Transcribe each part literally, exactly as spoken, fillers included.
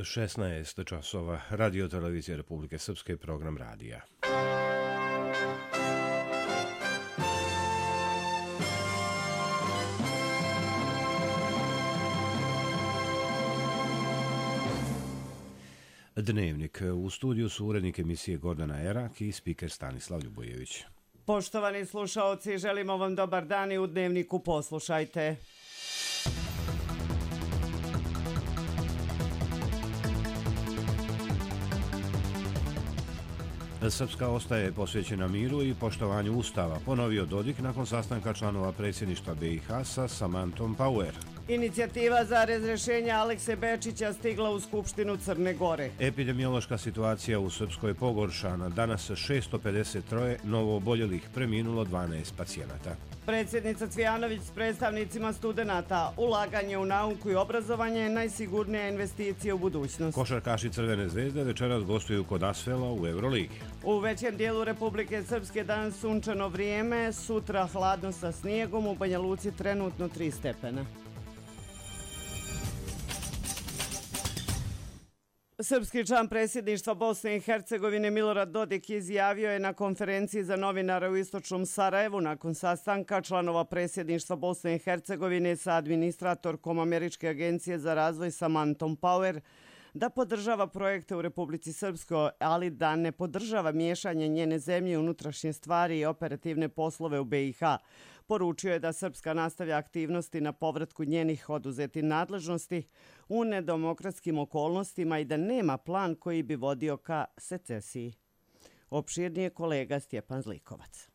šesnaest časova, Radio Televizija Republike Srpske, program radija. Dnevnik. U studiju su urednik emisije Gordana Erak i spiker Stanislav Ljubojević. Poštovani slušaoci, želimo vam dobar dan i u Dnevniku poslušajte. Srpska ostaje posvećena miru i poštovanju Ustava, ponovio Dodik nakon sastanka članova predsjedništva B i H sa Samanthom Power. Inicijativa za razrješenje Alekse Bečića stigla u Skupštinu Crne Gore. Epidemiološka situacija u Srpskoj je pogoršana. Danas šesto pedeset tri novo oboljelih, preminulo dvanaest pacijenata. Predsjednica Cvijanović s predstavnicima studenata. Ulaganje u nauku i obrazovanje je najsigurnija investicija u budućnost. Košarkaši Crvene zvezde večeras gostuju kod Asvela u Euroligi. U većem dijelu Republike Srpske danas sunčano vrijeme, sutra hladno sa snijegom, u Banja Luci trenutno tri stepena. Srpski član predsjedništva Bosne i Hercegovine Milorad Dodik izjavio je na konferenciji za novinare u istočnom Sarajevu nakon sastanka članova predsjedništva Bosne i Hercegovine sa administratorkom Američke agencije za razvoj Samanthom Power da podržava projekte u Republici Srpskoj, ali da ne podržava miješanje njene zemlje u unutrašnje stvari i operativne poslove u B i H. Poručio je da Srpska nastavlja aktivnosti na povratku njenih oduzetih nadležnosti u nedemokratskim okolnostima i da nema plan koji bi vodio ka secesiji. Opširnije kolega Stjepan Zlikovac.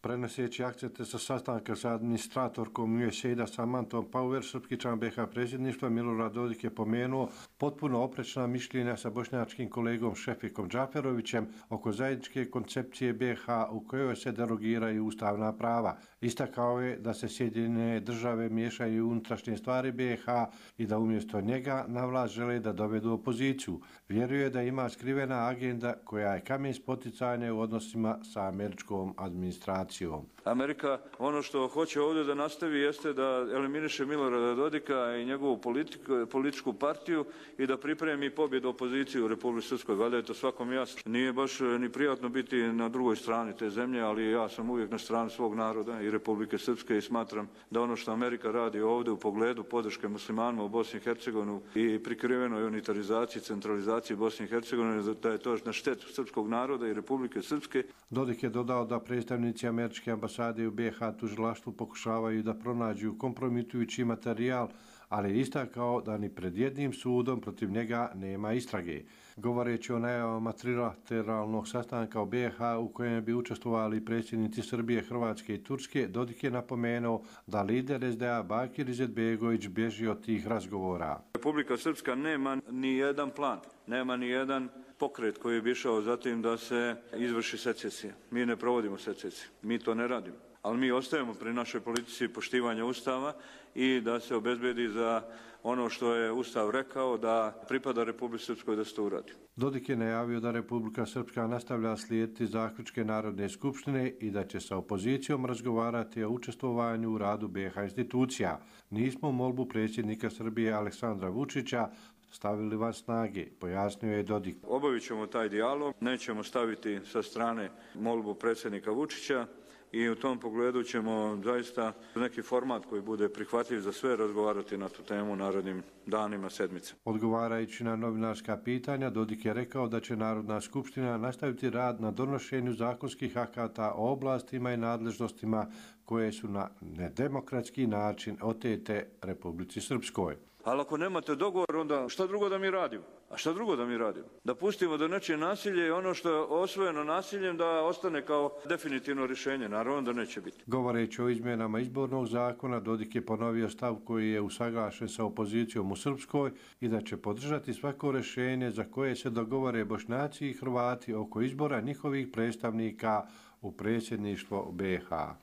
Prenoseći akcente sa sastanka sa administratorkom U S A I D-a Samanthom Power, srpski član B i H predsjedništva Milorad Dodik je pomenuo potpuno oprečna mišljenja sa bošnjačkim kolegom Šefikom Džaferovićem oko zajedničke koncepcije B i H u kojoj se derogiraju ustavna prava. Istakao je da se Sjedinjene države miješaju u unutrašnje stvari B i H i da umjesto njega na vlast žele da dovedu opoziciju. Vjeruje da ima skrivena agenda koja je kamen spoticanja u odnosima sa američkom administracijom. Amerika ono što hoće ovdje da nastavi jeste da eliminiše Milorada Dodika i njegovu politiku, političku partiju i da pripremi pobjedu opoziciju u Republici Srpskoj. Valjda je to svakom jasno. Nije baš ni prijatno biti na drugoj strani te zemlje, ali ja sam uvijek na strani svog naroda i Republike Srpske i smatram da ono što Amerika radi ovdje u pogledu podrške muslimanima u Bosni i Hercegovini i prikrivenoj unitarizaciji, centralizaciji Bosne i Hercegovine, da je to na štetu srpskog naroda i Republike Srpske. Dodik je dodao da predstavnici američke ambasade u B i H tužilaštvu pokušavaju da pronađu kompromitujući materijal, ali je istakao da ni pred jednim sudom protiv njega nema istrage. Govoreći o najavama trilateralnog sastanka u B i H u kojem bi učestvovali predsjednici Srbije, Hrvatske i Turske, Dodik je napomenuo da lider S D A Bakir Izetbegović bježi od tih razgovora. Republika Srpska nema ni jedan plan, nema ni jedan pokret koji bi išao za tim da se izvrši secesija. Mi ne provodimo secesiju, mi to ne radimo. Ali mi ostajemo pri našoj politici poštivanja Ustava i da se obezbedi za ono što je Ustav rekao da pripada Republici Srpskoj da se to uradi. Dodik je najavio da Republika Srpska nastavlja slijediti zaključke Narodne skupštine i da će sa opozicijom razgovarati o učestvovanju u radu B i H institucija. Nismo molbu predsjednika Srbije Aleksandra Vučića stavili van snage, pojasnio je Dodik. Obavit ćemo taj dijalog, nećemo staviti sa strane molbu predsjednika Vučića i u tom pogledu ćemo zaista neki format koji bude prihvatljiv za sve razgovarati na tu temu u narednim danima, sedmice. Odgovarajući na novinarska pitanja, Dodik je rekao da će Narodna skupština nastaviti rad na donošenju zakonskih akata o oblastima i nadležnostima koje su na nedemokratski način otete Republici Srpskoj. Ali ako nemate dogovor, onda šta drugo da mi radimo? A šta drugo da mi radimo? Da pustimo da nečije nasilje i ono što je osvojeno nasiljem da ostane kao definitivno rješenje. Naravno da neće biti. Govoreći o izmjenama izbornog zakona, Dodik je ponovio stav koji je usaglašen sa opozicijom u Srpskoj i da će podržati svako rješenje za koje se dogovore Bošnjaci i Hrvati oko izbora njihovih predstavnika u predsjedništvo B i H.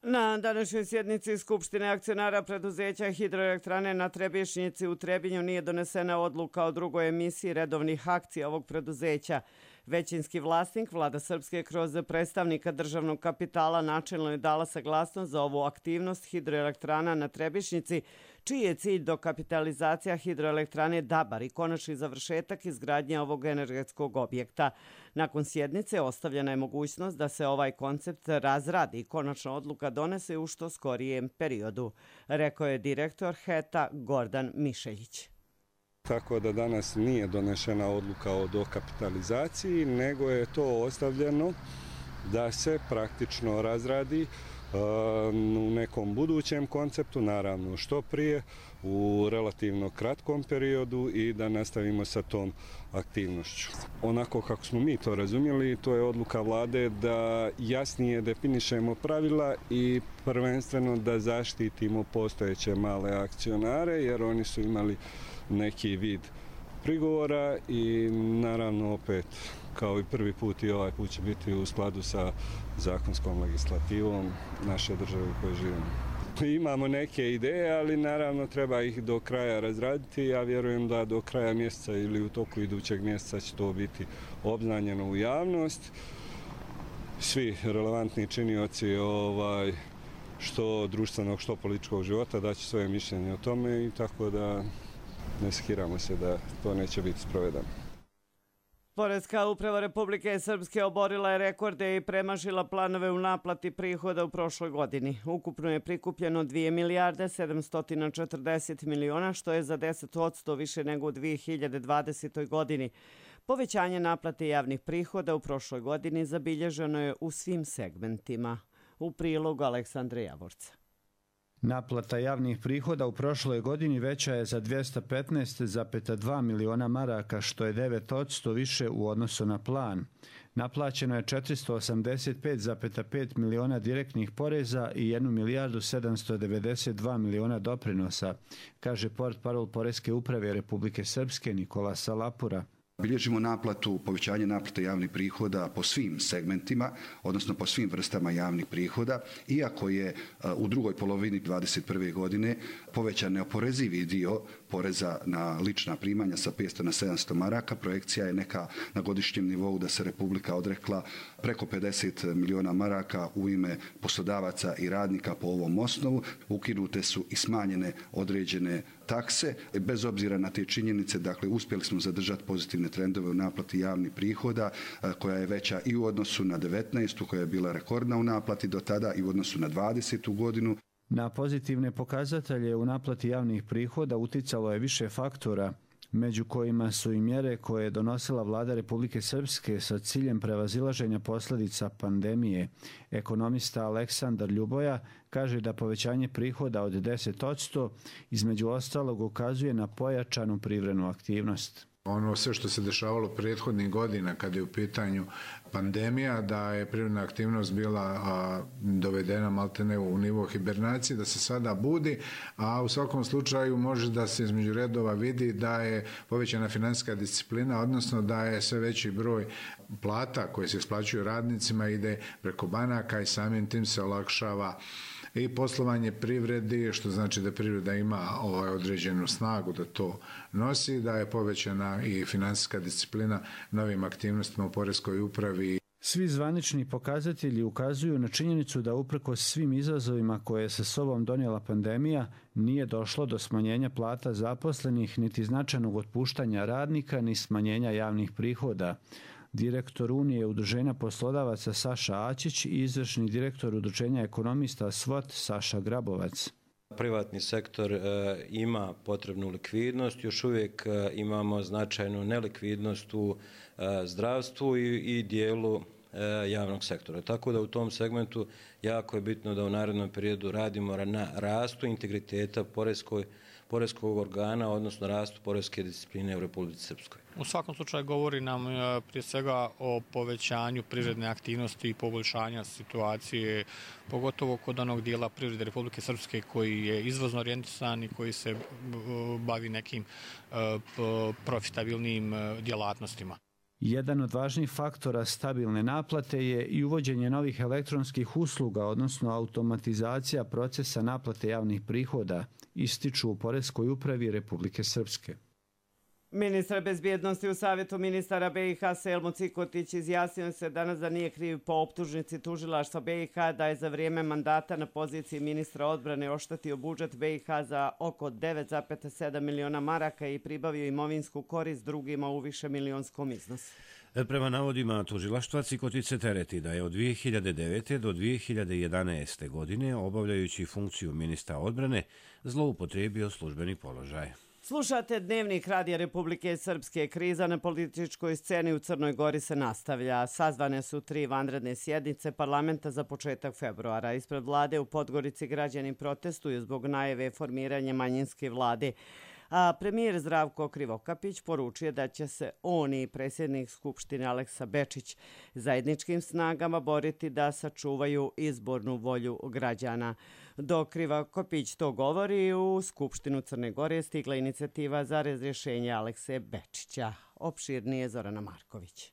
Na današnjoj sjednici Skupštine akcionara preduzeća Hidroelektrane na Trebišnjici u Trebinju nije donesena odluka o drugoj emisiji redovnih akcija ovog preduzeća. Većinski vlasnik, Vlada Srpske, kroz predstavnika državnog kapitala načelno je dala saglasnost za ovu aktivnost hidroelektrana na Trebišnjici, čiji je cilj dokapitalizacija hidroelektrane Dabar i konačni završetak izgradnje ovog energetskog objekta. Nakon sjednice ostavljena je mogućnost da se ovaj koncept razradi i konačna odluka donese u što skorijem periodu, rekao je direktor H E T-a Gordan Mišeljić. Tako da danas nije donešena odluka o dokapitalizaciji, nego je to ostavljeno da se praktično razradi u nekom budućem konceptu, naravno što prije, u relativno kratkom periodu i da nastavimo sa tom aktivnošću. Onako kako smo mi to razumjeli, to je odluka vlade da jasnije definišemo pravila i prvenstveno da zaštitimo postojeće male akcionare, jer oni su imali neki vid prigovora i naravno opet kao i prvi put i ovaj put će biti u skladu sa zakonskom legislativom naše države u kojoj živimo. Imamo neke ideje, ali naravno treba ih do kraja razraditi. Ja vjerujem da do kraja mjeseca ili u toku idućeg mjeseca će to biti obznanjeno u javnost. Svi relevantni činioci ovaj, što društvenog, što političkog života daće svoje mišljenje o tome i tako da ne skiramo se da to neće biti sprovedeno. Poreska uprava Republike Srpske oborila je rekorde i premašila planove u naplati prihoda u prošloj godini. Ukupno je prikupljeno dvije milijarde sedamsto četrdeset miliona, što je za deset posto više nego u dvije hiljade dvadesetoj. godini. Povećanje naplate javnih prihoda u prošloj godini zabilježeno je u svim segmentima. U prilogu Aleksandra Javorca. Naplata javnih prihoda u prošloj godini veća je za dvjesto petnaest zarez dva miliona maraka, što je devet posto više u odnosu na plan. Naplaćeno je četiristo osamdeset pet zarez pet miliona direktnih poreza i jednu milijardu sedamsto devedeset dva miliona doprinosa, kaže portparol Poreske uprave Republike Srpske Nikola Salapura. Bilježimo naplatu, povećanje naplate javnih prihoda po svim segmentima, odnosno po svim vrstama javnih prihoda, iako je u drugoj polovini dvadeset prve. godine povećan neoporezivi dio poreza na lična primanja sa petsto na sedamsto maraka. Projekcija je neka na godišnjem nivou da se Republika odrekla preko pedeset miliona maraka u ime poslodavaca i radnika po ovom osnovu. Ukinute su i smanjene određene takse. Bez obzira na te činjenice, dakle, uspjeli smo zadržati pozitivne trendove u naplati javnih prihoda, koja je veća i u odnosu na devetnaestu. koja je bila rekordna u naplati do tada i u odnosu na dvadesetu. godinu. Na pozitivne pokazatelje u naplati javnih prihoda uticalo je više faktora, među kojima su i mjere koje je donosila Vlada Republike Srpske sa ciljem prevazilaženja posljedica pandemije. Ekonomista Aleksandar Ljuboja kaže da povećanje prihoda od deset posto između ostalog ukazuje na pojačanu privrednu aktivnost. Ono sve što se dešavalo prethodnih godina kada je u pitanju pandemija, da je privredna aktivnost bila a, dovedena maltene u nivo hibernacije, da se sada budi, a u svakom slučaju može da se između redova vidi da je povećana financijska disciplina, odnosno da je sve veći broj plata koje se isplaćuju radnicima ide preko banaka i samim tim se olakšava i poslovanje privredi, što znači da privreda ima ovaj određenu snagu da to nosi, da je povećana i financijska disciplina novim aktivnostima u Poreskoj upravi. Svi zvanični pokazatelji ukazuju na činjenicu da uprkos svim izazovima koje je sa sobom donijela pandemija, nije došlo do smanjenja plata zaposlenih, niti značajnog otpuštanja radnika, ni smanjenja javnih prihoda. Direktor Unije udruženja poslodavaca Saša Ačić i izvršni direktor udruženja ekonomista S V O T Saša Grabovac. Privatni sektor e, ima potrebnu likvidnost, još uvijek e, imamo značajnu nelikvidnost u e, zdravstvu i, i dijelu e, javnog sektora. Tako da u tom segmentu jako je bitno da u narednom periodu radimo na rastu integriteta poreskoj poreskog organa, odnosno rastu poreske discipline u Republici Srpskoj. U svakom slučaju govori nam prije svega o povećanju privredne aktivnosti i poboljšanja situacije, pogotovo kod onog dijela privrede Republike Srpske koji je izvozno orijentisan i koji se bavi nekim profitabilnim djelatnostima. Jedan od važnijih faktora stabilne naplate je i uvođenje novih elektronskih usluga, odnosno automatizacija procesa naplate javnih prihoda, ističu u Poreskoj upravi Republike Srpske. Ministar bezbjednosti u Savjetu ministara B i H Selmo Cikotić izjasnio se danas da nije kriv po optužnici tužilaštva B i H da je za vrijeme mandata na poziciji ministra odbrane oštetio budžet B i H za oko devet zarez sedam miliona maraka i pribavio imovinsku korist drugima u višemilijonskom iznosu. Prema navodima tužilaštva, Cikotić se tereti da je od dvije hiljade devete. do dvije hiljade jedanaeste. godine, obavljajući funkciju ministra odbrane, zloupotrijebio službeni položaj. Slušate Dnevnik Radija Republike Srpske. Kriza na političkoj sceni u Crnoj Gori se nastavlja. Sazvane su tri vanredne sjednice parlamenta za početak februara. Ispred vlade u Podgorici građani protestuju zbog najave formiranja manjinske vlade. A premijer Zdravko Krivokapić poručuje da će se on i predsjednik Skupštine Aleksa Bečić zajedničkim snagama boriti da sačuvaju izbornu volju građana. Dok Krivokapić to govori, u Skupštinu Crne Gore stigla inicijativa za razrješenje Alekse Bečića. Opširnije Zorana Marković.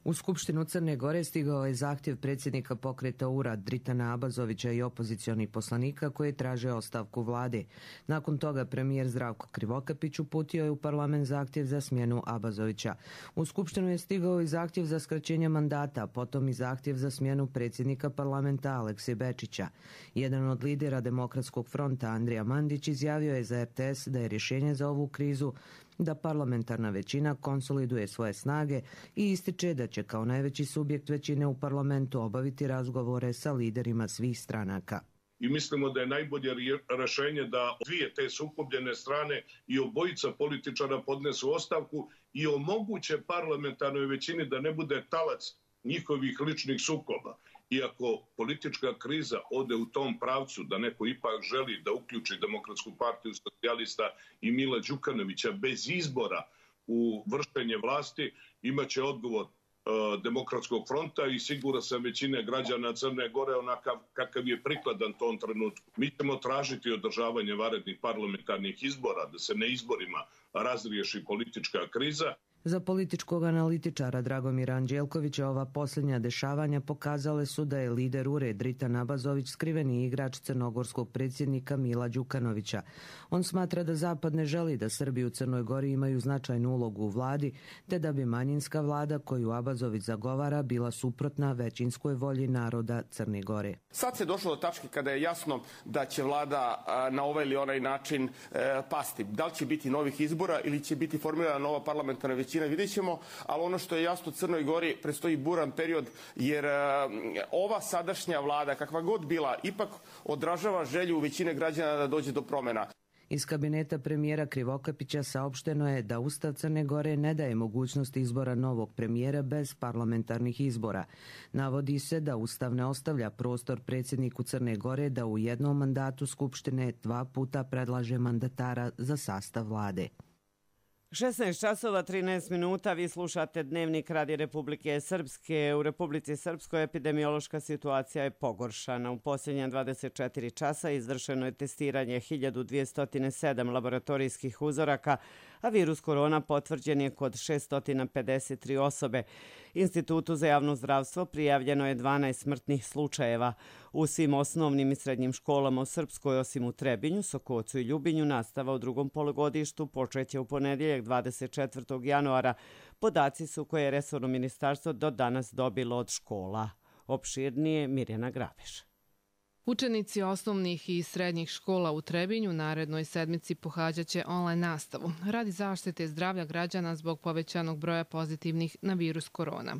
U Skupštinu Crne Gore stigao je zahtjev predsjednika pokreta U R A Dritana Abazovića i opozicionih poslanika koji traže ostavku vlade. Nakon toga premijer Zdravko Krivokapić uputio je u parlament zahtjev za smjenu Abazovića. U Skupštinu je stigao i zahtjev za skraćenje mandata, potom i zahtjev za smjenu predsjednika parlamenta Alekse Bečića. Jedan od lidera Demokratskog fronta, Andrija Mandić, izjavio je za R T S da je rješenje za ovu krizu da parlamentarna većina konsoliduje svoje snage i ističe da će kao najveći subjekt većine u parlamentu obaviti razgovore sa liderima svih stranaka. I mislimo da je najbolje rješenje da dvije te sukobljene strane i obojica političara podnesu ostavku i omoguće parlamentarnoj većini da ne bude talac njihovih ličnih sukoba. Iako politička kriza ode u tom pravcu da neko ipak želi da uključi Demokratsku partiju socijalista i Mila Đukanovića bez izbora u vršenje vlasti, imaće odgovor e, Demokratskog fronta i sigurno sam većine građana Crne Gore onakav kakav je prikladan tom trenutku. Mi ćemo tražiti održavanje vanrednih parlamentarnih izbora, da se na izborima razriješi politička kriza. Za političkog analitičara Dragomira Anđelkovića ova posljednja dešavanja pokazale su da je lider U R A Dritan Abazović skriveni igrač crnogorskog predsjednika Mila Đukanovića. On smatra da Zapad ne želi da Srbi u Crnoj Gori imaju značajnu ulogu u vladi, te da bi manjinska vlada koju Abazović zagovara bila suprotna većinskoj volji naroda Crne Gore. Sad se došlo do tačke kada je jasno da će vlada na ovaj ili onaj način pasti. Da li će biti novih izbora ili će biti formirana nova parlamentarna većina, vidjet ćemo, ali ono što je jasno Crnoj Gori predstoji buran period, jer ova sadašnja vlada, kakva god bila, ipak odražava želju većine građana da dođe do promjena. Iz kabineta premijera Krivokapića saopšteno je da Ustav Crne Gore ne daje mogućnost izbora novog premijera bez parlamentarnih izbora. Navodi se da Ustav ne ostavlja prostor predsjedniku Crne Gore da u jednom mandatu Skupštine dva puta predlaže mandatara za sastav vlade. šesnaest časova trinaest minuta, vi slušate Dnevnik Radija Republike Srpske. U Republici Srpskoj epidemiološka situacija je pogoršana. U posljednja dvadeset četiri časa izvršeno je testiranje hiljadu dvjesto sedam laboratorijskih uzoraka, a virus korona potvrđen je kod šesto pedeset tri osobe. Institutu za javno zdravstvo prijavljeno je dvanaest smrtnih slučajeva. U svim osnovnim i srednjim školama u Srpskoj, osim u Trebinju, Sokocu i Ljubinju, nastava u drugom polugodištu počeće u ponedjeljak dvadeset četvrtog januara. Podaci su koje je resorno ministarstvo do danas dobilo od škola. Opširnije Mirjana Grabeš. Učenici osnovnih i srednjih škola u Trebinju narednoj sedmici pohađaće online nastavu radi zaštite zdravlja građana zbog povećanog broja pozitivnih na virus korona.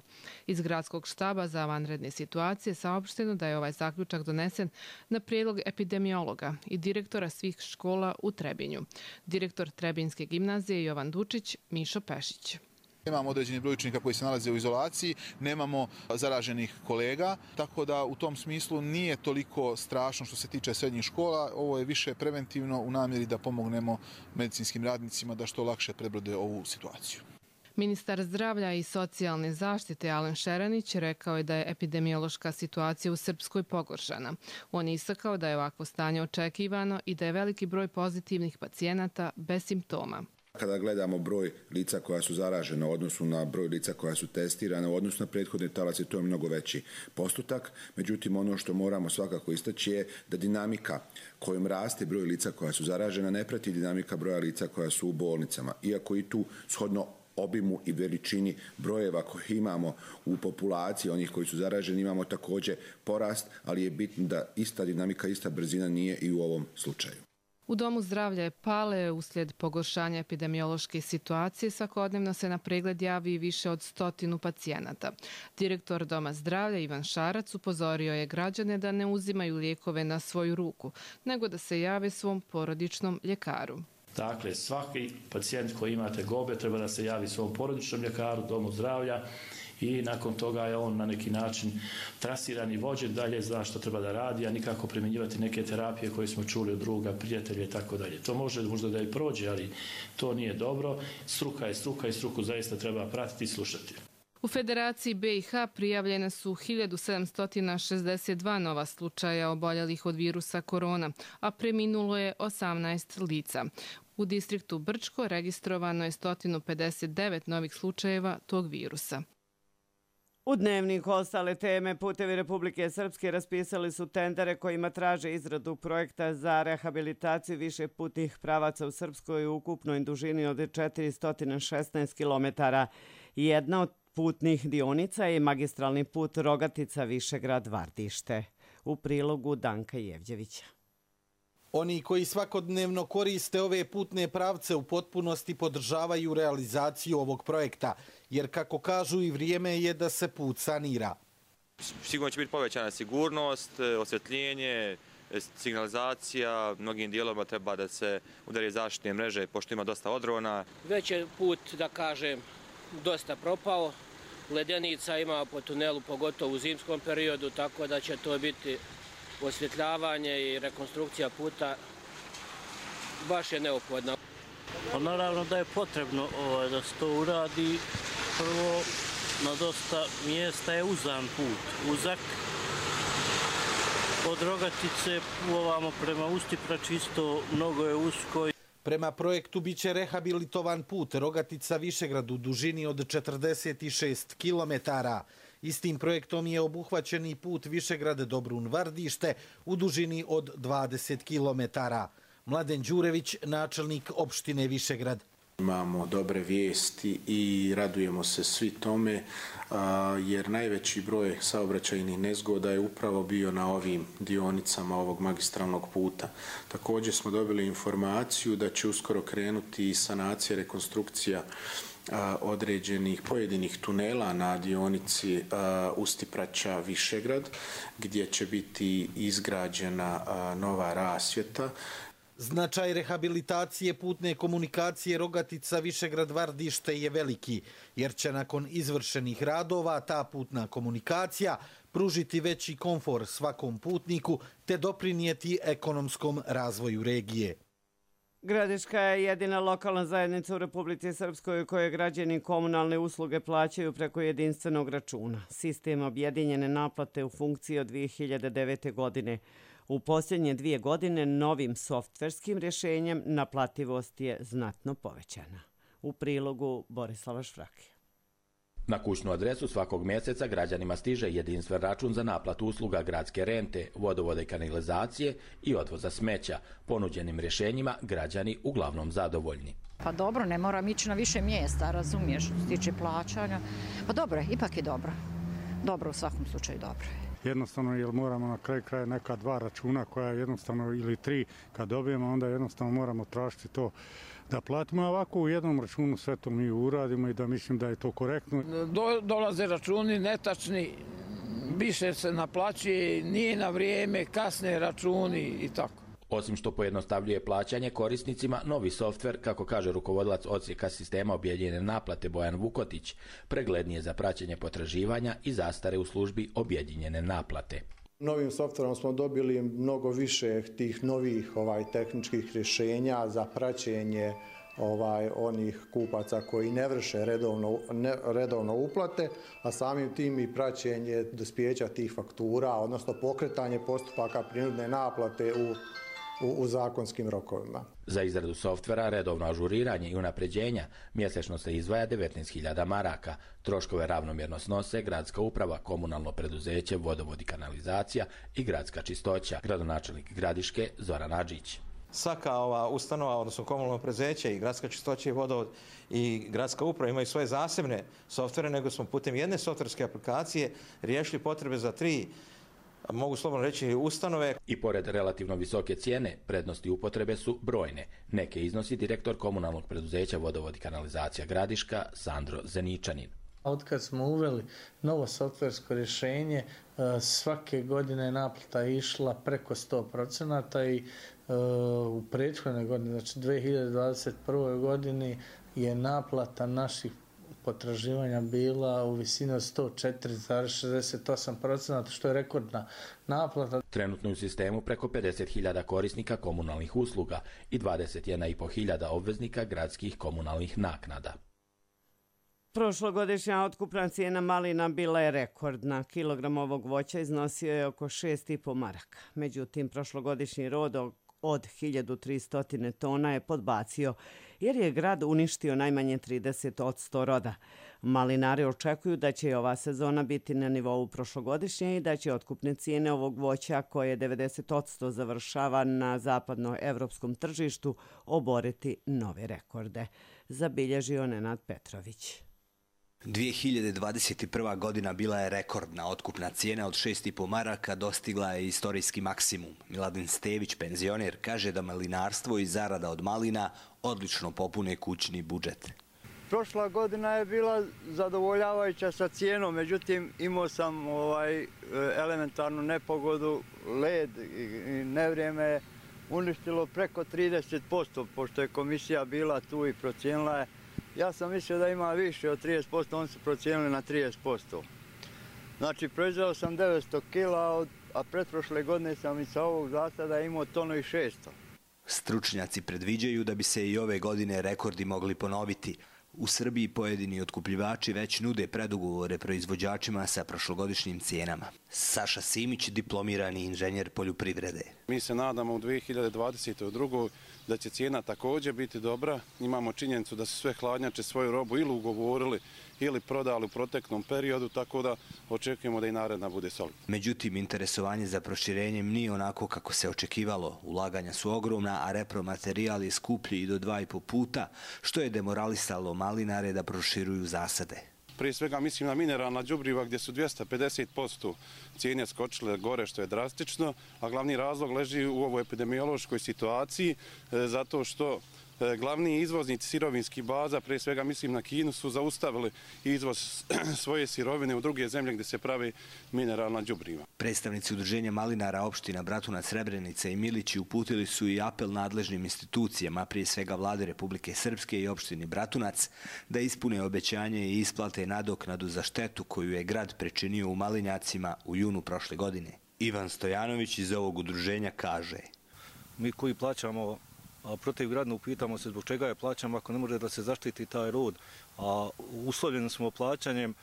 Iz gradskog štaba za vanredne situacije saopšteno da je ovaj zaključak donesen na prijedlog epidemiologa i direktora svih škola u Trebinju. Direktor Trebinjske gimnazije Jovan Dučić, Mišo Pešić. Nemamo određeni broj učenika koji se nalaze u izolaciji, nemamo zaraženih kolega, tako da u tom smislu nije toliko strašno što se tiče srednjih škola. Ovo je više preventivno u namjeri da pomognemo medicinskim radnicima da što lakše prebrode ovu situaciju. Ministar zdravlja i socijalne zaštite Alen Šeranić rekao je da je epidemiološka situacija u Srpskoj pogoršana. On je istakao da je ovakvo stanje očekivano i da je veliki broj pozitivnih pacijenata bez simptoma. Kada gledamo broj lica koja su zaražena u odnosu na broj lica koja su testirana, u odnosu na prethodne talace, to je mnogo veći postotak. Međutim, ono što moramo svakako istaći je da dinamika kojom raste broj lica koja su zaražena ne prati dinamika broja lica koja su u bolnicama. Iako i tu shodno obimu i veličini brojeva koje imamo u populaciji, onih koji su zaraženi, imamo također porast, ali je bitno da ista dinamika, ista brzina nije i u ovom slučaju. U Domu zdravlja je Pale uslijed pogoršanja epidemiološke situacije svakodnevno se na pregled javi više od stotinu pacijenata. Direktor Doma zdravlja Ivan Šarac upozorio je građane da ne uzimaju lijekove na svoju ruku, nego da se jave svom porodičnom ljekaru. Dakle, svaki pacijent koji ima tegobe treba da se javi svom porodičnom ljekaru, Domu zdravlja, i nakon toga je on na neki način trasiran i vođen dalje, zna što treba da radi, a nikako primjenjivati neke terapije koje smo čuli od druga, prijatelja i tako dalje. To može možda da i prođe, ali to nije dobro. Struka je struka i struku zaista treba pratiti i slušati. U Federaciji be i ha prijavljene su hiljadu sedamsto šezdeset dva nova slučaja oboljelih od virusa korona, a preminulo je osamnaest lica. U distriktu Brčko registrovano je sto pedeset devet novih slučajeva tog virusa. U Dnevniku ostale teme, Putevi Republike Srpske raspisali su tendere kojima traže izradu projekta za rehabilitaciju više putnih pravaca u Srpskoj u ukupnoj dužini od četiristo šesnaest kilometara. Jedna od putnih dionica je magistralni put Rogatica-Višegrad-Vardište. U prilogu Danka Jevđevića. Oni koji svakodnevno koriste ove putne pravce u potpunosti podržavaju realizaciju ovog projekta, jer kako kažu i vrijeme je da se put sanira. Sigurno će biti povećana sigurnost, osvjetljenje, signalizacija, mnogim dijelovima treba da se udari zaštitne mreže, pošto ima dosta odrona. Već je put, da kažem, dosta propao, ledenica ima po tunelu, pogotovo u zimskom periodu, tako da će to biti osvjetljavanje i rekonstrukcija puta baš je neophodna. Pa naravno da je potrebno ovaj, da se to uradi. Prvo, na dosta mjesta je uzan put, uzak. Od Rogatice ovamo prema Ustiprači isto mnogo je usko. Prema projektu biće rehabilitovan put Rogatica-Višegrad u dužini od četrdeset šest kilometara. Istim projektom je obuhvaćen i put Višegrad-Dobrun-Vardište u dužini od dvadeset kilometara. Mladen Đurević, načelnik opštine Višegrad. Imamo dobre vijesti i radujemo se svi tome, jer najveći broj saobraćajnih nezgoda je upravo bio na ovim dionicama ovog magistralnog puta. Također smo dobili informaciju da će uskoro krenuti sanacija, rekonstrukcija određenih pojedinih tunela na dionici Ustipraća Višegrad, gdje će biti izgrađena nova rasvjeta. Značaj rehabilitacije putne komunikacije Rogatica-Višegrad-Vardište je veliki, jer će nakon izvršenih radova ta putna komunikacija pružiti veći komfor svakom putniku te doprinijeti ekonomskom razvoju regije. Gradiška je jedina lokalna zajednica u Republici Srpskoj koje građani komunalne usluge plaćaju preko jedinstvenog računa. Sistem objedinjene naplate u funkciji od dvije hiljade devete. godine. U posljednje dvije godine novim softverskim rješenjem naplativost je znatno povećana. U prilogu Borislava Švrake. Na kućnu adresu svakog mjeseca građanima stiže jedinstven račun za naplatu usluga gradske rente, vodovoda i kanalizacije i odvoza smeća. Ponuđenim rješenjima građani uglavnom zadovoljni. Pa dobro, ne moram ići na više mjesta, razumiješ, što se tiče plaćanja. Pa dobro, ipak je dobro. Dobro, u svakom slučaju dobro je. Jednostavno, jer moramo na kraju kraja neka dva računa koja jednostavno ili tri kad dobijemo, onda jednostavno moramo tražiti to da platimo. Ovako u jednom računu sve to mi uradimo i da mislim da je to korektno. Do, dolaze računi netačni, više se naplaćuje, nije na vrijeme, kasne računi i tako. Osim što pojednostavljuje plaćanje korisnicima, novi softver, kako kaže rukovodilac odsjeka sistema objedinjene naplate Bojan Vukotić, preglednije za praćenje potraživanja i zastare u službi objedinjene naplate. Novim softverom smo dobili mnogo više tih novih ovaj tehničkih rješenja za praćenje ovaj onih kupaca koji ne vrše redovno, ne, redovno uplate, a samim tim i praćenje dospijeća tih faktura, odnosno pokretanje postupaka prinudne naplate u u, u zakonskim rokovima. Za izradu softvera, redovno ažuriranje i unapređenja mjesečno se izdvaja devetnaest hiljada maraka. Troškove ravnomjerno snose gradska uprava, komunalno preduzeće, vodovod i kanalizacija i gradska čistoća. Gradonačelnik Gradiške Zoran Adžić. Svaka ova ustanova, odnosno komunalno preduzeće i gradska čistoća i vodovod i gradska uprava imaju svoje zasebne softvere, nego smo putem jedne softverske aplikacije riješili potrebe za tri, mogu slobodno reći, ustanove. I pored relativno visoke cijene, prednosti upotrebe su brojne. Neke iznosi direktor komunalnog preduzeća Vodovod i kanalizacija Gradiška Sandro Zeničanin. Otkad smo uveli novo softversko rješenje, svake godine naplata je išla preko sto procenata i u prethodnoj godini, znači dvije hiljade dvadeset prvoj godini, je naplata naših potraživanja bila u visini od sto četiri zarez šezdeset osam procenata, što je rekordna naplata. Trenutno u sistemu preko pedeset hiljada korisnika komunalnih usluga i dvadeset jedna i po hiljada obveznika gradskih komunalnih naknada. Prošlogodišnja otkupna cijena malina bila je rekordna. Kilogram ovog voća iznosio je oko šest i po maraka. Međutim, prošlogodišnji rod od hiljadu tristo tona je podbacio, jer je grad uništio najmanje trideset posto roda. Malinari očekuju da će ova sezona biti na nivou prošlogodišnje i da će otkupne cijene ovog voća, koje devedeset posto završava na zapadnoevropskom tržištu, oboriti nove rekorde. Zabilježio Nenad Petrović. dvije hiljade dvadeset prva. godina bila je rekordna. Otkupna cijena od šest i po maraka dostigla je istorijski maksimum. Miladin Stević, penzioner, kaže da malinarstvo i zarada od malina odlično popune kućni budžet. Prošla godina je bila zadovoljavajuća sa cijenom, međutim imao sam ovaj elementarnu nepogodu, led i nevrijeme je uništilo preko trideset posto, pošto je komisija bila tu i procijenila je. Ja sam mislio da ima više od trideset posto, oni su procijenili na trideset posto. Znači, proizveo sam devetsto kila, a pretprošle godine sam i sa ovog zasada imao tonu i šesto. Stručnjaci predviđaju da bi se i ove godine rekordi mogli ponoviti. U Srbiji pojedini otkupljivači već nude predugovore proizvođačima sa prošlogodišnjim cijenama. Saša Simić, diplomirani inženjer poljoprivrede. Mi se nadamo u dvije hiljade dvadeset drugoj. da će cijena također biti dobra. Imamo činjenicu da su sve hladnjače svoju robu ili ugovorili ili prodali u proteklom periodu, tako da očekujemo da i naredna bude solidna. Međutim, interesovanje za proširenjem nije onako kako se očekivalo. Ulaganja su ogromna, a repromaterijal je skuplji i do dva i po puta, što je demoralisalo malinare da proširuju zasade. Prije svega mislim na mineralna đubriva gdje su dvjesto pedeset posto cijene skočile gore, što je drastično, a glavni razlog leži u ovoj epidemiološkoj situaciji, zato što glavni izvoznici sirovinskih baza, prije svega mislim na Kinu, su zaustavili izvoz svoje sirovine u druge zemlje gdje se pravi mineralna đubriva. Predstavnici udruženja malinara opština Bratunac, Srebrenica i Milići uputili su i apel nadležnim institucijama, prije svega Vlade Republike Srpske i opštini Bratunac, da ispune obećanje i isplate nadoknadu za štetu koju je grad pričinio u malinjacima u junu prošle godine. Ivan Stojanović iz ovog udruženja kaže: Mi koji plaćamo a protivgradno upitamo se zbog čega je plaćamo ako ne može da se zaštiti taj rod, a uslovljeni smo plaćanjem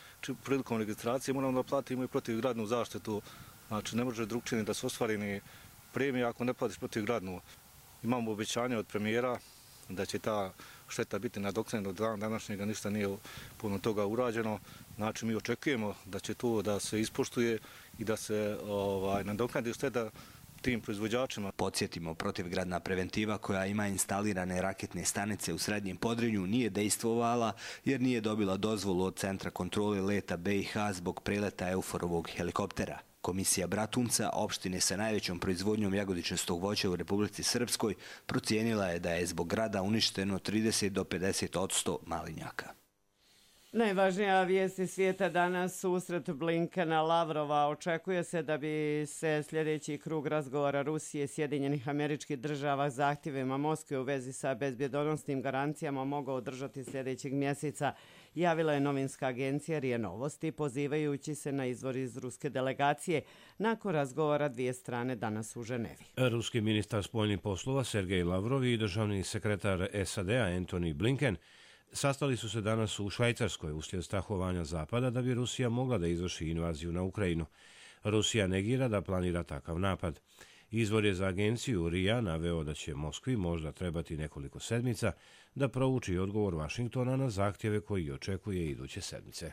prilikom registracije, moramo da platimo i protivgradnu zaštitu, znači ne može drugčije da se ostvari ni premija ako ne platiš protivgradnu. Imamo obećanje od premijera da će ta šteta biti nadoknadena, do dana današnjega ništa nije puno toga urađeno, znači mi očekujemo da će to da se ispoštuje i da se ovaj, nadoknadi šteta tim proizvođačima. Podsjetimo, protivgradna preventiva koja ima instalirane raketne stanice u Srednjem Podrinju nije dejstvovala jer nije dobila dozvolu od Centra kontrole leta B i H zbog preleta Euforovog helikoptera. Komisija Bratunca, opštine sa najvećom proizvodnjom jagodičastog voća u Republici Srpskoj, procijenila je da je zbog grada uništeno trideset do pedeset posto malinjaka. Najvažnija vijesti svijeta danas, susret Blinkena Lavrova. Očekuje se da bi se sljedeći krug razgovora Rusije, Sjedinjenih Američkih Država zahtjevima Moskve u vezi sa bezbjedonosnim garancijama mogao održati sljedećeg mjeseca, javila je novinska agencija R I A Novosti, pozivajući se na izvor iz ruske delegacije nakon razgovora dvije strane danas u Ženevi. Ruski ministar spoljnih poslova Sergej Lavrov i državni sekretar S A D-a Antony Blinken sastali su se danas u Švajcarskoj uslijed strahovanja Zapada da bi Rusija mogla da izvrši invaziju na Ukrajinu. Rusija negira da planira takav napad. Izvor je za agenciju R I A naveo da će Moskvi možda trebati nekoliko sedmica da prouči odgovor Vašingtona na zahtjeve koji očekuje iduće sedmice.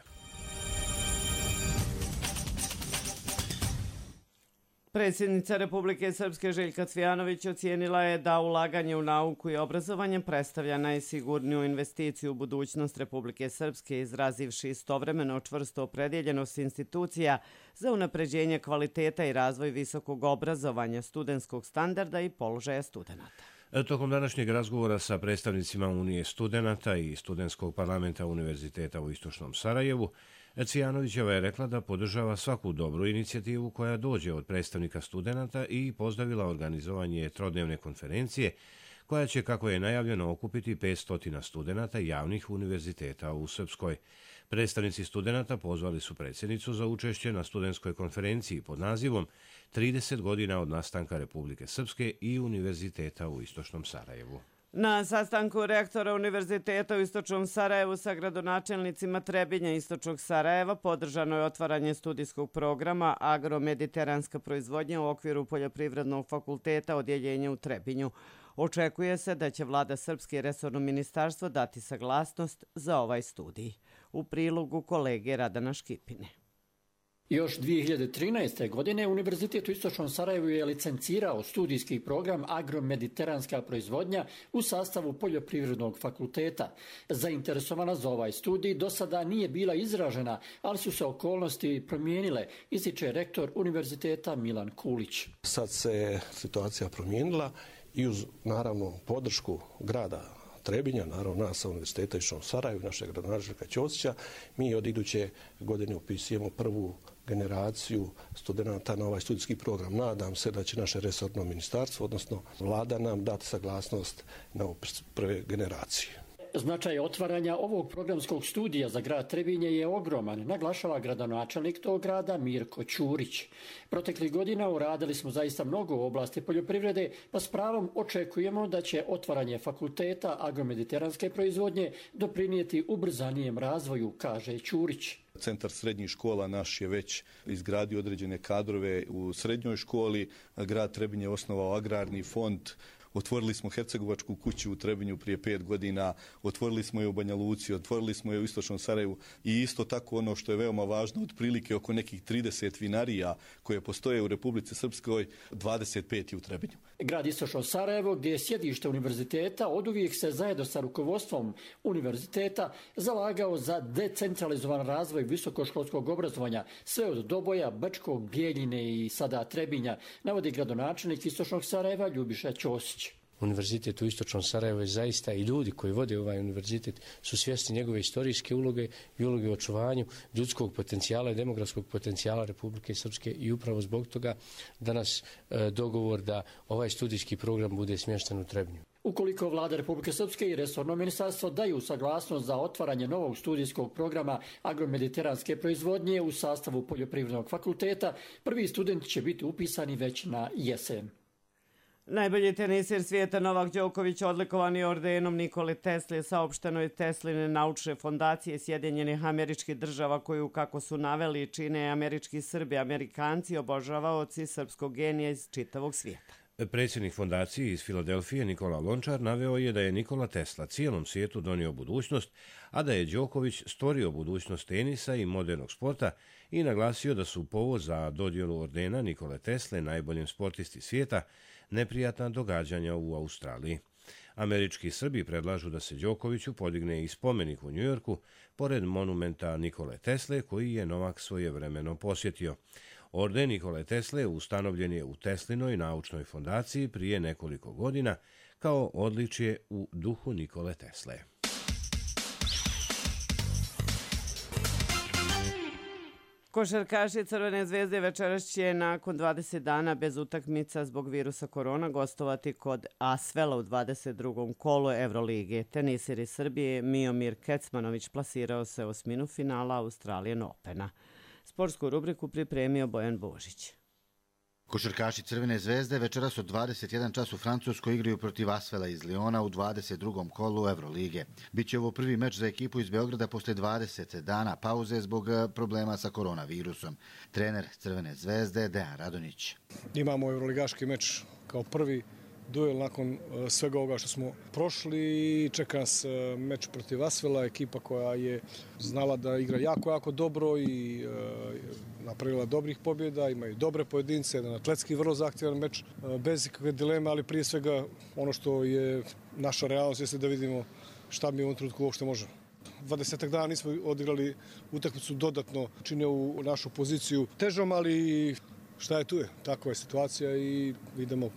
Predsjednica Republike Srpske Željka Cvijanović ocijenila je da ulaganje u nauku i obrazovanje predstavlja najsigurniju investiciju u budućnost Republike Srpske, izrazivši istovremeno čvrsto opredjeljenost institucija za unapređenje kvaliteta i razvoj visokog obrazovanja, studentskog standarda i položaja studenata. Tokom današnjeg razgovora sa predstavnicima Unije studenata i Studentskog parlamenta Univerziteta u Istočnom Sarajevu, Cvijanovićeva je rekla da podržava svaku dobru inicijativu koja dođe od predstavnika studenata i pozdravila organizovanje trodnevne konferencije koja će, kako je najavljeno, okupiti petsto studenata javnih univerziteta u Srpskoj. Predstavnici studenata pozvali su predsjednicu za učešće na studentskoj konferenciji pod nazivom trideset godina od nastanka Republike Srpske i Univerziteta u Istočnom Sarajevu. Na sastanku rektora Univerziteta u Istočnom Sarajevu sa gradonačelnicima Trebinja i Istočnog Sarajeva podržano je otvaranje studijskog programa Agromediteranska proizvodnja u okviru Poljoprivrednog fakulteta odjeljenja u Trebinju. Očekuje se da će vlada Srpske i resorno ministarstvo dati saglasnost za ovaj studij. U prilogu kolege Radana Škipine. Još dvije hiljade trinaeste. godine Univerzitet u Istočnom Sarajevu je licencirao studijski program Agromediteranska proizvodnja u sastavu Poljoprivrednog fakulteta. Zainteresovana za ovaj studij do sada nije bila izražena, ali su se okolnosti promijenile, ističe rektor Univerziteta Milan Kulić. Sad se situacija promijenila i uz naravno podršku grada Trebinja, naravno nas sa Univerziteta Istočnog Sarajevu, našeg gradonačelnika Ćosića, mi od iduće godine upisujemo prvu generaciju studenata na ovaj studijski program. Nadam se da će naše resorno ministarstvo, odnosno vlada, nam dati saglasnost na prve generacije. Značaj otvaranja ovog programskog studija za grad Trebinje je ogroman, naglašava gradonačelnik tog grada Mirko Ćurić. Proteklih godina uradili smo zaista mnogo u oblasti poljoprivrede, pa s pravom očekujemo da će otvaranje fakulteta agromediteranske proizvodnje doprinijeti ubrzanijem razvoju, kaže Ćurić. Centar srednjih škola naš je već izgradio određene kadrove u srednjoj školi. Grad Trebinje je osnovao agrarni fond. Otvorili smo Hercegovačku kuću u Trebinju prije pet godina, otvorili smo je u Banja Luci, otvorili smo je u Istočnom Sarajevu i isto tako ono što je veoma važno, otprilike oko nekih trideset vinarija koje postoje u Republici Srpskoj, dvadeset pet je u Trebinju. Grad Istočno Sarajevo, gdje je sjedište univerziteta, oduvijek se zajedno sa rukovodstvom univerziteta zalagao za decentralizovan razvoj visokoškolskog obrazovanja, sve od Doboja, Brčkog, Bijeljine i sada Trebinja, navodi gradonačelnik Istočnog Sarajeva Ljubiša Ćosić. Univerzitet u Istočnom Sarajevu je zaista i ljudi koji vode ovaj univerzitet su svjesni njegove istorijske uloge i uloge u očuvanju ljudskog potencijala i demografskog potencijala Republike Srpske i upravo zbog toga danas e, dogovor da ovaj studijski program bude smješten u Trebinju. Ukoliko vlada Republike Srpske i resorno ministarstvo daju saglasnost za otvaranje novog studijskog programa agromediteranske proizvodnje u sastavu Poljoprivrednog fakulteta, prvi studenti će biti upisani već na jesen. Najbolji tenisir svijeta Novak Đoković odlikovan je ordenom Nikole Tesle, saopšteno je Tesline naučne fondacije Sjedinjenih Američkih Država, koju, kako su naveli, čine američki Srbi, Amerikanci, obožavaoci srpskog genija iz čitavog svijeta. Predsjednik fondacije iz Filadelfije Nikola Lončar naveo je da je Nikola Tesla cijelom svijetu donio budućnost, a da je Đoković stvorio budućnost tenisa i modernog sporta i naglasio da su povod za dodjelu ordena Nikole Tesle najboljem sportisti svijeta neprijatna događanja u Australiji. Američki Srbi predlažu da se Đokoviću podigne i spomenik u Njujorku, pored monumenta Nikole Tesle, koji je Novak svojevremeno posjetio. Orden Nikole Tesle ustanovljen je u Teslinoj naučnoj fondaciji prije nekoliko godina kao odličje u duhu Nikole Tesle. Košarkaši Crvene zvezde večeras će nakon dvadeset dana bez utakmica zbog virusa korona gostovati kod Asvela u dvadeset drugom kolu Evrolige. Tenisir iz Srbije Miomir Kecmanović plasirao se u osminu finala Australian Opena. Sportsku rubriku pripremio Bojan Božić. Košarkaši Crvene zvezde večeras od dvadeset jedan čas u Francuskoj igraju protiv Asvela iz Liona u dvadeset drugom kolu Evrolige. Biće ovo prvi meč za ekipu iz Beograda posle dvadeset dana pauze zbog problema sa koronavirusom. Trener Crvene zvezde Dejan Radonjić. Imamo evroligaški meč kao prvi duel nakon svega ovoga što smo prošli i čeka nas meč protiv Asvela, ekipa koja je znala da igra jako, jako dobro i napravila dobrih pobjeda, imaju dobre pojedince, jedan atletski vrlo zahtjevan meč, bez ikakve dileme, ali prije svega ono što je naša realnost jeste da vidimo šta mi u ovom trenutku uopšte možemo. dvadesetak dana nismo odigrali utakmicu, dodatno čine u našu poziciju težom, ali šta je tu je, takva je situacija i idemo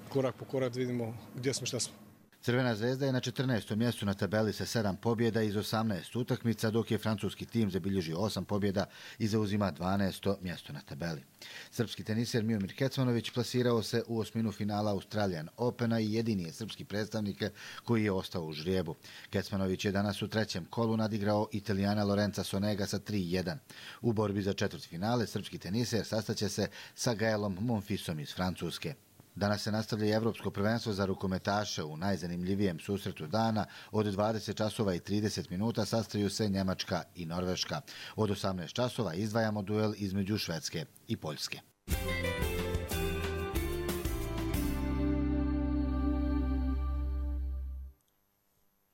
korak po korak, vidimo gdje smo, šta smo. Crvena zvezda je na četrnaestom mjestu na tabeli sa sedam pobjeda iz osamnaest utakmica, dok je francuski tim zabilježio osam pobjeda i zauzima dvanaesto mjesto na tabeli. Srpski teniser Miomir Kecmanović plasirao se u osminu finala Australian Opena i jedini je srpski predstavnik koji je ostao u žrijebu. Kecmanović je danas u trećem kolu nadigrao Italijana Lorenza Sonega sa tri jedan. U borbi za četvrtfinale srpski teniser sastaće se sa Gaelom Monfisom iz Francuske. Danas se nastavlja i Evropsko prvenstvo za rukometaše. U najzanimljivijem susretu dana od dvadeset časova i trideset minuta sastaju se Njemačka i Norveška. Od osamnaest časova izdvajamo duel između Švedske i Poljske.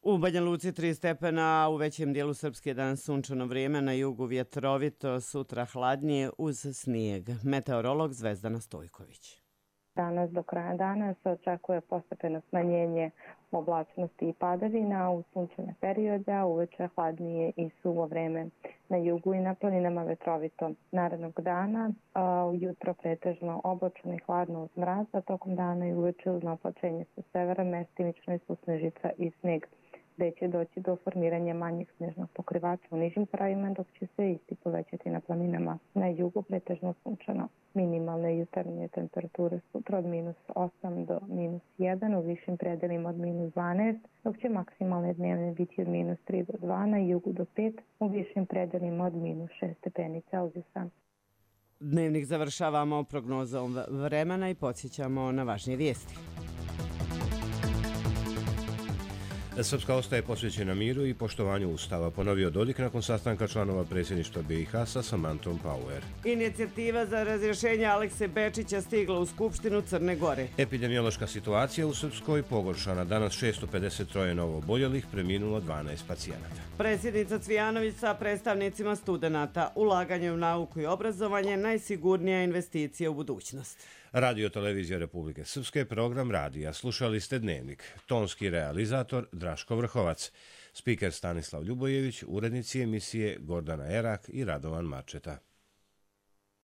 U Banja Luci tri stepena, u većem dijelu Srpske danas sunčano vrijeme, na jugu vjetrovito, sutra hladnije uz snijeg. Meteorolog Zvezdana Stojković. Danas do kraja dana se očekuje postepeno smanjenje oblačnosti i padavina u sunčane periode, a uveče hladnije i suvo vreme. Na jugu i na planinama vetrovito. Narednog dana ujutro pretežno oblačno i hladno uz mraz, a tokom dana i uveče uz naplaćenje sa severa mestimično i susnežica i sneg, gde će doći do formiranja manjih snežnog pokrivača u nižim krajevima, dok će se isti povećati na planinama. Na jugu pretežno sunčano. Minimalne jutarnje temperature sutra od minus osam do minus jedan, u višim predelima od minus dvanaest, dok će maksimalne dnevne biti od minus tri do dva, na jugu do pet, u višim predelima od minus šest stepeni Celzijusa. Dnevnik završavamo prognozom vremena i podsjećamo na važnije vijesti. Srpska ostaje posvećena miru i poštovanju Ustava, ponovio Dodik nakon sastanka članova predsjedništva B i H sa Samantom Power. Inicijativa za razrješenje Alekse Bečića stigla u Skupštinu Crne Gore. Epidemiološka situacija u Srpskoj pogoršana. Danas šesto pedeset tri novo oboljelih, preminulo dvanaest pacijenata. Predsjednica Cvijanović sa predstavnicima studenata. Ulaganje u nauku i obrazovanje najsigurnija investicija u budućnost. Radio Televizija Republike Srpske, program radija. Slušali ste Dnevnik. Tonski realizator Draško Vrhovac. Spiker Stanislav Ljubojević, urednici emisije Gordana Erak i Radovan Mačeta.